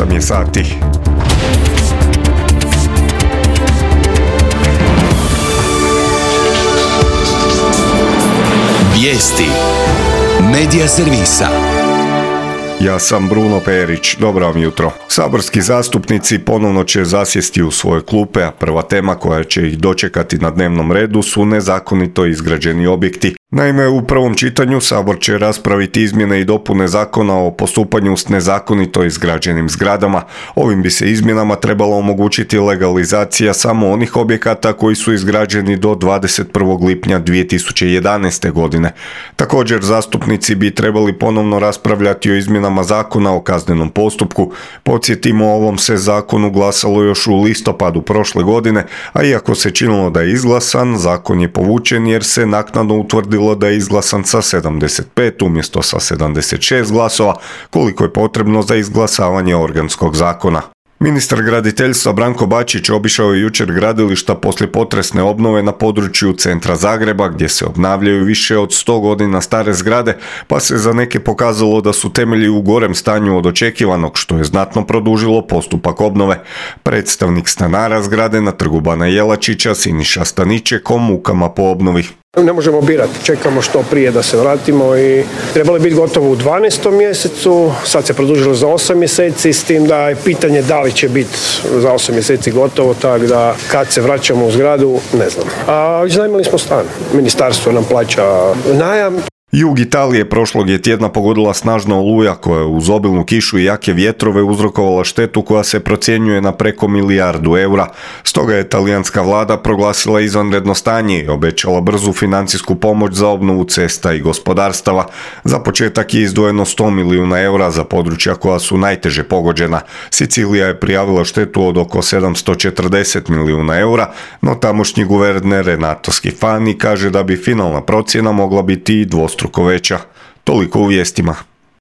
8 je sati. Vijesti Medija servisa. Ja sam Bruno Perić, dobro vam jutro. Saborski zastupnici ponovno će zasjesti u svoje klupe, a prva tema koja će ih dočekati na dnevnom redu su nezakonito izgrađeni objekti. Naime, u prvom čitanju Sabor će raspraviti izmjene i dopune zakona o postupanju s nezakonito izgrađenim zgradama. Ovim bi se izmjenama trebalo omogućiti legalizacija samo onih objekata koji su izgrađeni do 21. lipnja 2011. godine. Također, zastupnici bi trebali ponovno raspravljati o izmjenama zakona o kaznenom postupku. Podsjetimo, o ovom se zakonu glasalo još u listopadu prošle godine, a iako se činilo da je izglasan, zakon je povučen jer se naknadno utvrdilo da je izglasan sa 75 umjesto sa 76 glasova, koliko je potrebno za izglasavanje organskog zakona. Ministar graditeljstva Branko Bačić obišao je jučer gradilišta poslije potresne obnove na području centra Zagreba, gdje se obnavljaju više od 100 godina stare zgrade, pa se za neke pokazalo da su temelji u gorem stanju od očekivanog, što je znatno produžilo postupak obnove. Predstavnik stanara zgrade na Trgu Bana Jelačića Siniša Staniček o mukama po obnovi. Ne možemo birati, čekamo što prije da se vratimo i trebalo je biti gotovo u 12. mjesecu, sad se produžilo za 8 mjeseci, s tim da je pitanje da li će biti za 8 mjeseci gotovo, tako da kad se vraćamo u zgradu, ne znam. A iznajmili smo stan, ministarstvo nam plaća najam. Jug Italije prošlog je tjedna pogodila snažna oluja koja je uz obilnu kišu i jake vjetrove uzrokovala štetu koja se procjenjuje na preko milijardu eura. Stoga je talijanska vlada proglasila izvanredno stanje i obećala brzu financijsku pomoć za obnovu cesta i gospodarstava. Za početak je izdvojeno 100 milijuna eura za područja koja su najteže pogođena. Sicilija je prijavila štetu od oko 740 milijuna eura, no tamošnji guverner Renato Schifani kaže da bi finalna procjena mogla biti i dvostruko veća. Toliko u vijestima.